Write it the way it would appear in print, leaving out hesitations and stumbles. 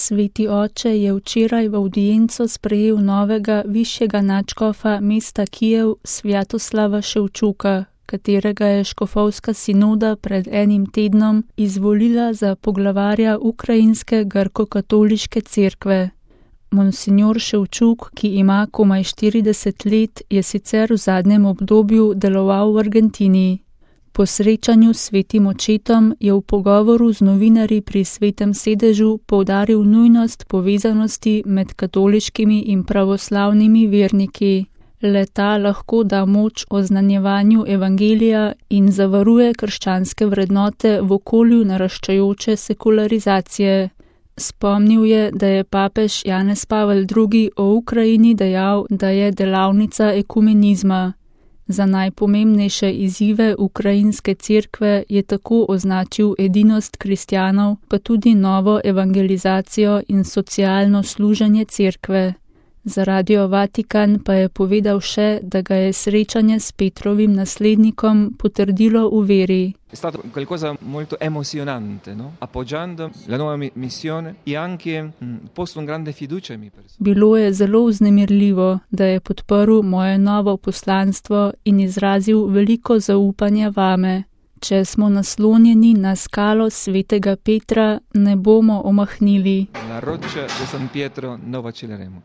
Sveti oče je včeraj v avdienco sprejel novega višjega nadškofa mesta Kijev Svjatoslava Ševčuka, katerega je škofovska sinoda pred enim tednom izvolila za poglavarja ukrajinske grko-katoliške cerkve. Monsignor Ševčuk, ki ima komaj 40 let, je sicer v zadnjem obdobju deloval v Argentini. Po srečanju s svetim očetom je v pogovoru z novinarji pri Svetem sedežu poudaril nujnost povezanosti med katoliškimi in pravoslavnimi verniki. Le-ta lahko da moč oznanjevanju evangelija in zavaruje krščanske vrednote v okolju naraščajoče sekularizacije. Spomnil je, da je papež Janez Pavel II. O Ukrajini dejal, da je delavnica ekumenizma. Za najpomembnejše izzive ukrajinske cerkve je tako označil edinost kristjanov, pa tudi novo evangelizacijo in socialno služenje cerkve. Za Radio Vatikan pa je povedal še, da ga je srečanje s Petrovim naslednikom potrdilo v veri. È stato qualcosa molto emozionante, no? Appoggiando la nuova missione e anche posto un grande fiducia in me. Bilo je zelo vznemirljivo, da je podprl moje novo poslanstvo in izrazil veliko zaupanja vame. Če smo naslonjeni na skalo svetega Petra, ne bomo omahnili. La roccia di San Pietro non vacilleremo.